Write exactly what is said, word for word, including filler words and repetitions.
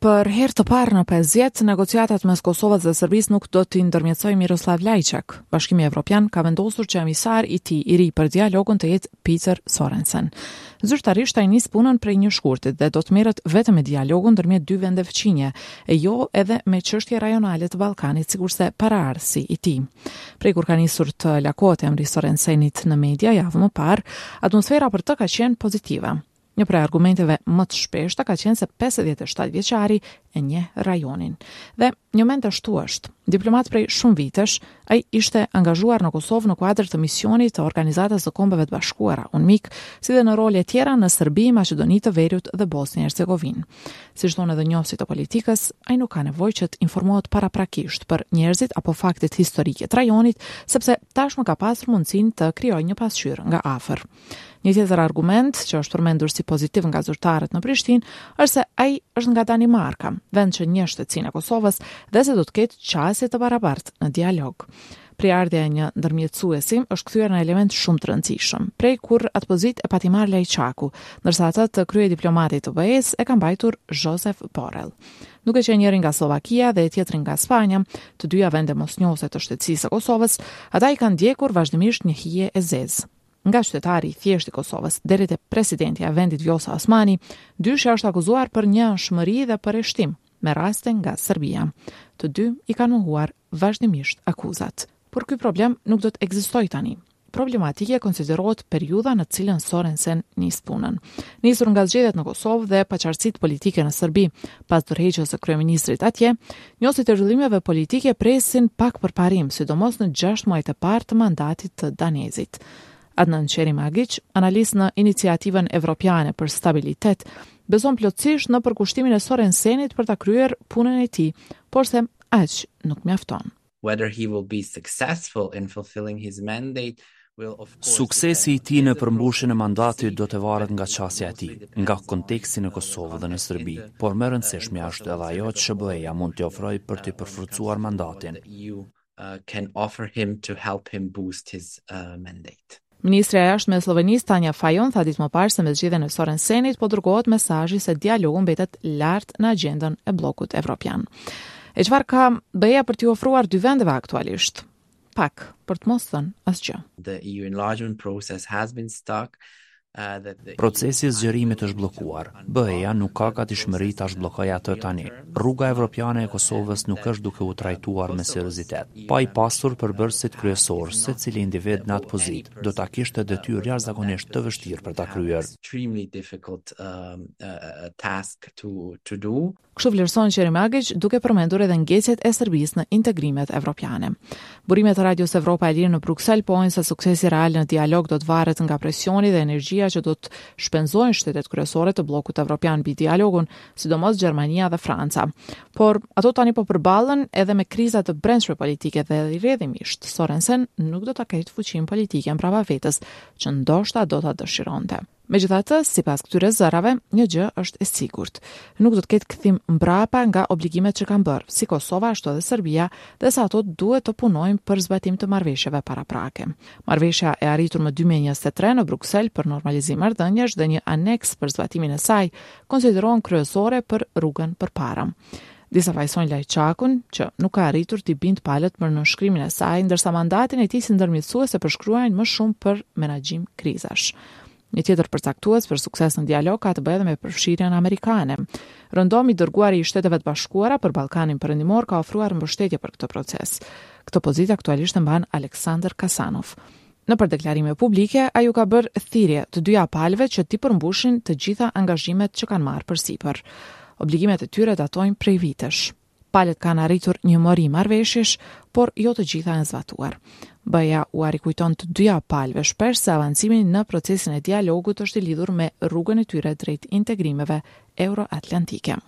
Për herë të parë në pesë vjet, negociatat mes Kosovës dhe Serbisë nuk do t'i ndërmjetësojë Miroslav Lajçak. Bashkimi Evropian ka vendosur që emisar i tij i ri për dialogun të jetë Peter Sorensen. Zyrtarisht ai nis punën prej një shkurtit dhe do të merret vetëm me dialogun ndërmjet dy vendeve fqinje, e jo edhe me çështje rajonale të Ballkanit, sikurse paraardhësi i tij. Prej kur ka nisur të lakohet emri Sorensenit në media javë më parë, atmosfera për të ka qenë pozitive. Një prej argumenteve më të shpeshta ka qenë se pesëdhjetë e shtatë vjeçari e njeh rajonin. Dhe njëmend ashtu është. Diplomat prej shumë vitesh, ai ishte angazhuar në Kosovë në kuadër të misionit të Organizatës së Kombeve të Bashkuara, UNMIK, si dhe në role tjera në Serbi, Maqedoni të Veriut dhe Bosnjë e Hercegovinë. Siç thonë edhe njohësit e politikës, ai nuk ka nevojë që të informohet paraprakisht për njerëzit apo faktet historike të rajonit, sepse tashmë ka pasur mundësinë të krijojë një pasqyrë nga afër. Një tjetër argument që është përmendur si pozitiv nga zyrtarët në Prishtinë është se ai është nga Danimarka, vend që njeh shtetësinë e Kosovës dhe se do të ketë qasje të barabartë në dialog. Prejardhja e një ndërmjetësuesi është kthyer në element shumë të rëndësishëm, prej kur atë pozitë e pati marrë Lajçaku, ndërsa atë të kryediplomatit të B E-s e ka mbajtur Josep Borrell. Duke qenë njëri nga Slovakia dhe tjetri nga Spanja, të dyja vende mosnjohëse të shtetësisë së Kosovës, ata i kanë ndjekur vazhdimisht një hije e zezë. Nga qytetari i thjeshtë i Kosovës deri te presidentja e vendit Vjosa Osmani, dyshja është akuzuar për njëanshmëri dhe përjashtim me raste nga Serbia. Të dy i kanë mohuar vazhdimisht akuzat. Por ky problem nuk do të ekzistojë tani. Problematike konsiderohet periudha në cilën Sorensen nis punën. Nisur nga zgjedhjet në Kosovë dhe paqartësitë politike në Serbi, pas dorëheqjes së kryeministrit atje, njohësit e zhvillimeve politike presin pak përparim, sidomos në gjashtë muajt e parë të mandatit të Danezit. Adnan Ćerimagić, analist në Iniciativën Evropiane për Stabilitet, beson plotësisht në përkushtimin e Sorensenit për ta kryer punën e tij, por se aq nuk mjafton. Whether he will be successful in fulfilling his mandate will of course Suksesi i tij në përmbushjen e mandatit do të varet nga qasja e tij, nga konteksti në Kosovë dhe në Serbi, por më e rëndësishmja është edhe ajo që B E-ja mund t'i ofrojë për t'i përforcuar mandatin. E U uh, can offer him to help him boost his uh, mandate. Ministrja e Jashtme e Sllovenisë Tanja Fajon tha ditë më parë se me zgjedhjen e Sorensenit po dërgohet mesazhi se dialogu mbetet lart në agjendën e bllokut evropian. E çfarë ka B E-ja për t'i ofruar dy vendeve aktualisht? Pak, për të mos thënë asgjë. The E U enlargement process has been stuck. Uh, that the Procesi i zgjerimit është bllokuar. B E-ja nuk ka gatishmëri ta zhbllokojë atë tani. Rruga evropiane e Kosovës nuk është duke u trajtuar me seriozitet. Pa i pasur përbërësit kryesor, secili individ në atë pozitë do ta kishte detyrë jashtëzakonisht të vështirë për ta kryer. Extremely difficult um, uh, task to to do. Kështu vlerëson Ćerimagić, duke përmendur edhe ngecjet e Serbisë në integrimet evropiane. Burimet e Radios Evropa e Lirë në Bruksel pohojnë se suksesi real në dialog do të varet nga presioni dhe energjia që do të shpenzojnë shtetet kryesore të bllokut evropian mbi dialogun, sidomos Gjermania dhe Franca. Por ato tani po përballen edhe me kriza të brendshme politike dhe rrjedhimisht Sorensen nuk do ta ketë fuqinë politike mbrapa vetes që ndoshta do ta dëshironte. Megjithatë, sipas këtyre zërave, një gjë është e sigurt. Nuk do të ketë kthim mbrapa nga obligimet që kanë bërë, si Kosova ashtu edhe Serbia, dhe se ato duhet të punojnë për zbatim të marrëveshjeve paraprake. Marrëveshja e arritur më dy mijë e njëzet e tre në Bruksel për normalizim marrëdhëniesh dhe një aneks për zbatimin e saj konsiderohen kryesore për rrugën përpara. Disa fajsojnë Lajçakun, që nuk ka arritur t'i bind palët për nënshkrimin e saj, ndërsa mandatin e tij si ndërmjetësues e përshkruajnë më shumë për menaxhim krizash. Një tjetër përcaktues për sukses në dialog ka të bëjë edhe me përfshirjen amerikane. Rëndom i dërguari i Shteteve të Bashkuara për Ballkanin Perëndimor ka ofruar mbështetje për këtë proces. Këtë pozitë aktualisht e mban Aleksandr Kasanov. Në për deklarime publike, ai u ka bërë thirrje të dyja palëve që t'i përmbushin të gjitha angazhimet që kanë marrë përsipër. Obligimet e tyre datojnë prej vitesh. Palët kanë arritur një mori marrëveshjesh, por jo të gjitha janë zbatuar. B E-ja ua rikujton të dyja palëve shpesh se avancimi në procesin e dialogut është i lidhur me rrugën e tyre drejt integrimeve euroatlantike.